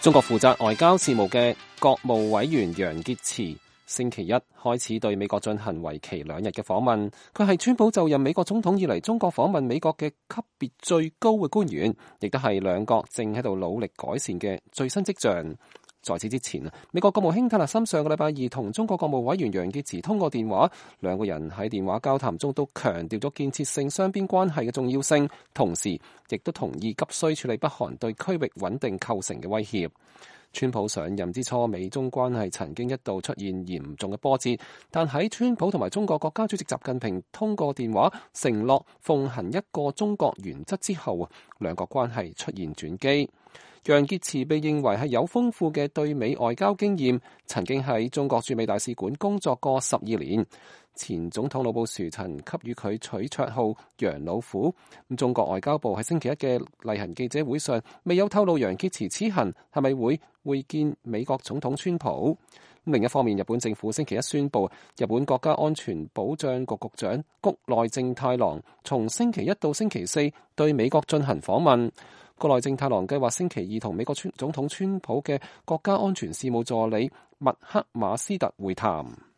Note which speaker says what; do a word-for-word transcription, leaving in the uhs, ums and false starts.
Speaker 1: 中國負責外交事務嘅國務委員楊潔篪星期一開始對美國進行為期兩日嘅訪問。佢係川普就任美國總統以嚟中國訪問美國嘅級別最高嘅官員，亦都係兩國正喺度努力改善嘅最新跡象。在此之前，美國國務卿塔勒森上個禮拜二同中國國務委員楊潔篪通過電話，兩個人喺電話交談中都強調咗建設性雙邊關係嘅重要性，同時亦都同意急需處理北韓對區域穩定構成嘅威脅。川普上任之初，美中關係曾經一度出現嚴重嘅波折，但喺川普同埋中國國家主席習近平通過電話承諾奉行一個中國原則之後，兩國關係出現轉機。楊潔篪被認為係有豐富嘅對美外交經驗，曾經喺中國駐美大使館工作過十二年。前總統老布殊曾給予佢取綽號楊老虎。中國外交部喺星期一嘅例行記者會上未有透露楊潔篪此行係咪會會見美國總統川普。另一方面，日本政府星期一宣布，日本國家安全保障局局長谷內正太郎從星期一到星期四對美國進行訪問。谷內正太郎計劃星期二同美國總統川普嘅國家安全事務助理麥克馬斯特會談。